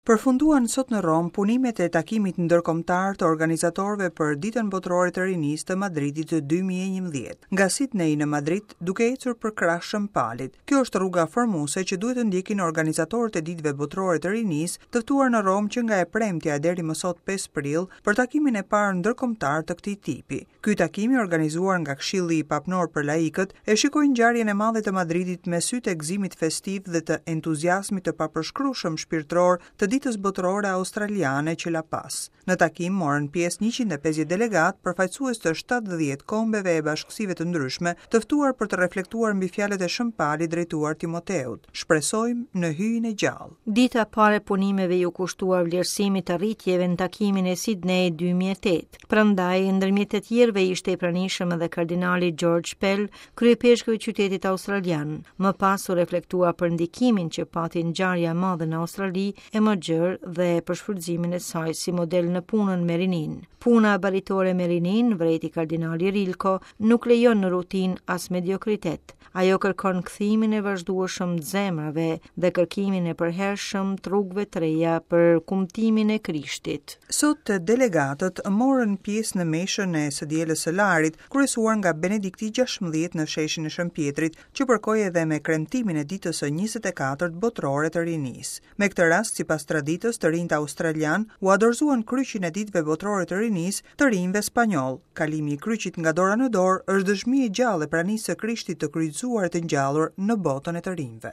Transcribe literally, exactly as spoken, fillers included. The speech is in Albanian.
Përfunduan sot në Romë punimet e takimit ndërkombëtar të organizatorëve për Ditën Botërore të Rinisë të Madridit të dy mijë e njëmbëdhjetë. Nga Sydney në Madrid, duke ecur përkrah Shën Palit. Kjo është rruga formuese që duhet të ndjekin organizatorët e Ditëve Botërore të Rinisë, të ftuar në Romë që nga e premtja e deri më sot pesë prill për takimin e parë ndërkombëtar të këtij tipi. Ky takim i organizuar nga Këshilli Papnor për Laikët e shikoi ngjarjen e madhe të Madridit me sytë e gëzimit festiv dhe të entuziazmit të papërshkrueshëm shpirtëror të Ditës Botërore Australiane që la pas. Në takim morën pjesë njëqind e pesëdhjetë delegat, përfaqësues të shtatëdhjetë kombeve e bashkësive të ndryshme, të ftuar për të reflektuar mbi fjalët e Shën Palit drejtuar Timoteut. Shpresojmë në hyjin e gjallë. Dita e parë e punimeve ju kushtua vlerësimit të rritjeve në takimin e Sydney dy mijë e tetë. Prandaj, ndërmjet të tjerëve ishte i pranishëm edhe kardinali George Pell, kryepeshkëv i qytetit australian. Më pas u reflektua për ndikimin që pati ngjarja e madhe në Australi e më gjerë dhe për shfrytëzimin e saj si model në punën me rinin. Puna baritore me rinin, vrejti kardinali Rilko, nuk lejon në rutinë as mediokritet. Ajo kërkon kthimin e vazhdueshëm të zemrave dhe kërkimin e përhershëm të rrugëve të reja për kumtimin e Krishtit. Sot delegatët morën pjesë në meshën e së dielës së Larit, kryesuar nga Benedikti gjashtëmbëdhjetë në sheshin e Shën Pjetrit, që përkoi edhe me kremtimin e ditës së njëzet e katërt botërore të rinisë. Me këtë rast, sipas traditës, të rinjtë australian u adorzuan kryqin e ditëve botërore të rinisë të rinjve spanjoll. Kalimi i kryqit nga dora në dorë është dëshmi e gjallë e pranisë së Krishtit të kryqëzuar e të ngjallur në botën e të rinjve.